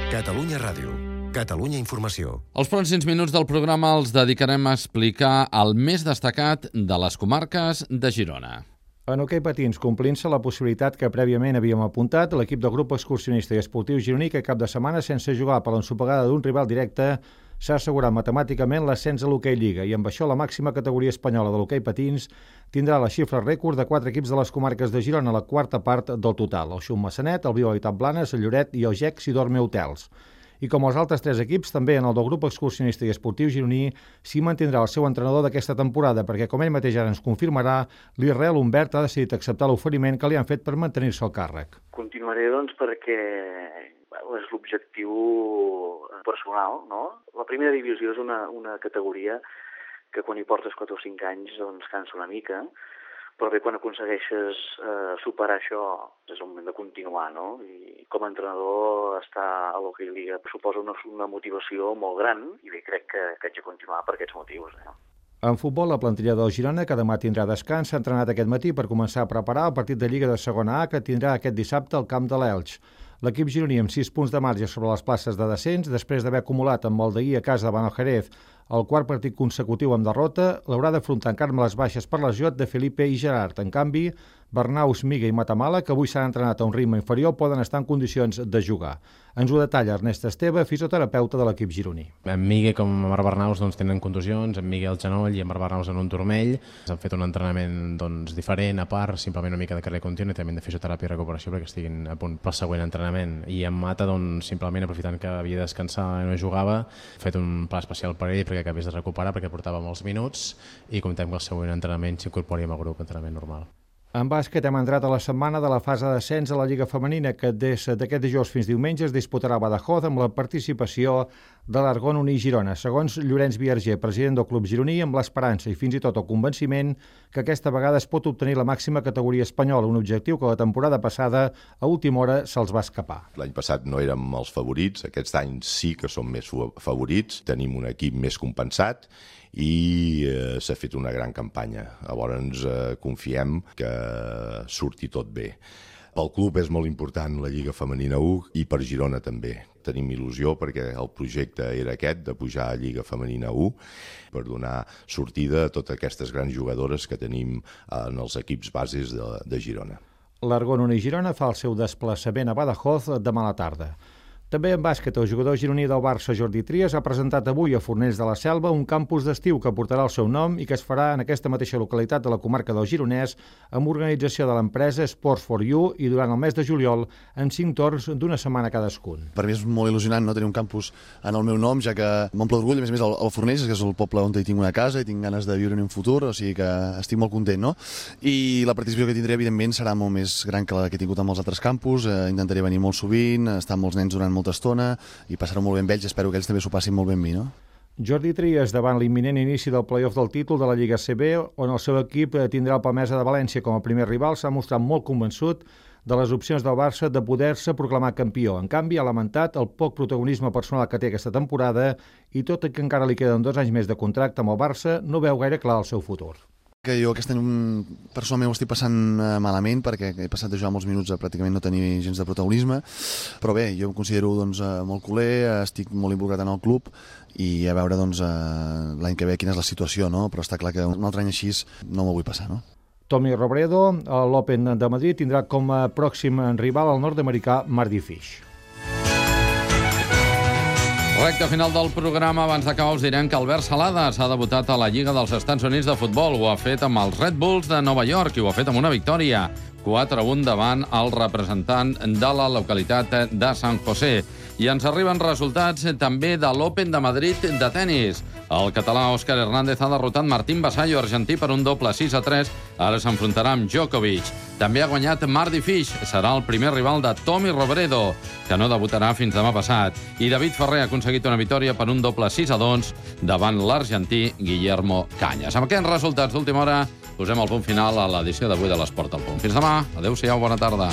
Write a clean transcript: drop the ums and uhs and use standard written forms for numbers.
Catalunya Ràdio. Catalunya Informació. Els pròxims minuts del programa els dedicarem a explicar el més destacat de les comarques de Girona. En hoquei patins, complint-se la possibilitat que prèviament havíem apuntat, l'equip del grup excursionista i esportiu gironí que cap de setmana, sense jugar per l'ensopegada d'un rival directe, s'ha assegurat matemàticament l'ascens a l'hoquei Lliga i amb això la màxima categoria espanyola de l'hoquei patins tindrà la xifra rècord de 4 equips de les comarques de Girona, la quarta part del total: el Xum Massanet, el Viu Habitat Blanes, el Lloret i el GEC Sidorme Hotels. I com els altres 3 equips, també en el del grup excursionista i esportiu gironí s'hi mantindrà el seu entrenador d'aquesta temporada, perquè, com ell mateix ara ens confirmarà, l'Israel Humbert ha decidit acceptar l'oferiment que li han fet per mantenir-se al càrrec. Continuaré, perquè és l'objectiu personal, no? La primera divisió és una categoria que quan hi portes 4 o 5 anys cansa una mica, però bé, quan aconsegueixes superar això, és el moment de continuar, no? I com a entrenador estar a l'Hockey Lliga suposa una motivació molt gran i bé, crec que haig de continuar per aquests motius. En futbol, la plantilla del Girona, que demà tindrà descans, s'ha entrenat aquest matí per començar a preparar el partit de Lliga de Segona A que tindrà aquest dissabte al camp de l'Elx. L'equip gironí amb 6 punts de marge sobre les places de descens, després d'haver acumulat amb el d'ahir a casa davant el Jerez el quart partit consecutiu amb derrota, l'haurà d'afrontar encara amb les baixes per lesió de Felipe i Gerard. En canvi, Bernaus, Miga i Matamala, que avui s'han entrenat a un ritme inferior, poden estar en condicions de jugar. Ens ho detalla Ernest Esteve, fisioterapeuta de l'equip gironí. En Miga com en Marc Bernaus tenen contusions, en Miga al genoll i en Marc Bernaus en un turmell. S'han fet un entrenament diferent, a part, simplement una mica de carrer continu i també de fisioteràpia i recuperació perquè estiguin a punt pel següent entrenament. I en Mata, simplement aprofitant que havia de descansar i no jugava, ha fet un pla especial per ell perquè acabés de recuperar perquè portava molts minuts i comptem que el següent entrenament s'incorpori amb el grup d'entrenament normal. En bàsquet hem entrat a la setmana de la fase d'ascens a la Lliga Femenina que des d'aquest dijous fins diumenge es disputarà a Badajoz amb la participació de l'Argon Uní Girona. Segons Llorenç Viarger, president del club gironí, amb l'esperança i fins i tot el convenciment que aquesta vegada es pot obtenir la màxima categoria espanyola, un objectiu que la temporada passada a última hora se'ls va escapar. L'any passat no érem els favorits, aquest any sí que som més favorits, tenim un equip més compensat i s'ha fet una gran campanya. Llavors confiem que surti tot bé. Pel club és molt important la Lliga Femenina 1 i per Girona també. Tenim il·lusió perquè el projecte era aquest, de pujar a Lliga Femenina 1, per donar sortida a totes aquestes grans jugadores que tenim en els equips bases de Girona. L'Argon Uní Girona fa el seu desplaçament a Badajoz demà a la tarda. També en bàsquet, el jugador gironí del Barça, Jordi Trias, ha presentat avui a Fornells de la Selva un campus d'estiu que portarà el seu nom i que es farà en aquesta mateixa localitat de la comarca del Gironès amb organització de l'empresa Sports for You i durant el mes de juliol en 5 torns d'una setmana cadascun. Per mi és molt il·lusionant tenir un campus en el meu nom, ja que m'omple d'orgull, a més el Fornells, que és el poble on tinc una casa i tinc ganes de viure en un futur, o sigui que estic molt content, no? I la participació que tindré, evidentment, serà molt més gran que la que he tingut amb els altres campus, intentaré venir molt sovint, estar amb molts nens durant molta estona i passar-ho molt bé amb ells, espero que ells també s'ho passin molt bé amb mi, no? Jordi Trias davant l'imminent inici del play-off del títol de la Lliga CB, on el seu equip tindrà el Palmesa de València com a primer rival, s'ha mostrat molt convençut de les opcions del Barça de poder-se proclamar campió. En canvi, ha lamentat el poc protagonisme personal que té aquesta temporada i tot i que encara li queden 2 anys més de contracte amb el Barça, no veu gaire clar el seu futur. Que jo aquest any personalment ho estic passant malament perquè he passat de jugar molts minuts a pràcticament no tenir gens de protagonisme, però bé, jo em considero molt culer, estic molt involucrat en el club i a veure l'any que ve quina és la situació, no? Però està clar que un altre any així no m'ho vull passar, no? Tommy Robredo, a l'Open de Madrid, tindrà com a pròxim rival el nord-americà Mardy Fish. Recte final del programa. Abans d'acabar us direm que Albert Salades ha debutat a la Lliga dels Estats Units de futbol. Ho ha fet amb els Red Bulls de Nova York i ho ha fet amb una victòria. 4-1 davant el representant de la localitat de San José. I ens arriben resultats també de l'Open de Madrid de tennis. El català Òscar Hernández ha derrotat Martín Vasallo, argentí, per un doble 6-3. Ara s'enfrontarà amb Djokovic. També ha guanyat Mardy Fish. Serà el primer rival de Tommy Robredo, que no debutarà fins demà passat. I David Ferrer ha aconseguit una victòria per un doble 6-2 davant l'argentí Guillermo Cañas. Amb aquests resultats d'última hora posem el punt final a l'edició d'avui de l'Esport al Punt. Fins demà. Adéu-siau, bona tarda.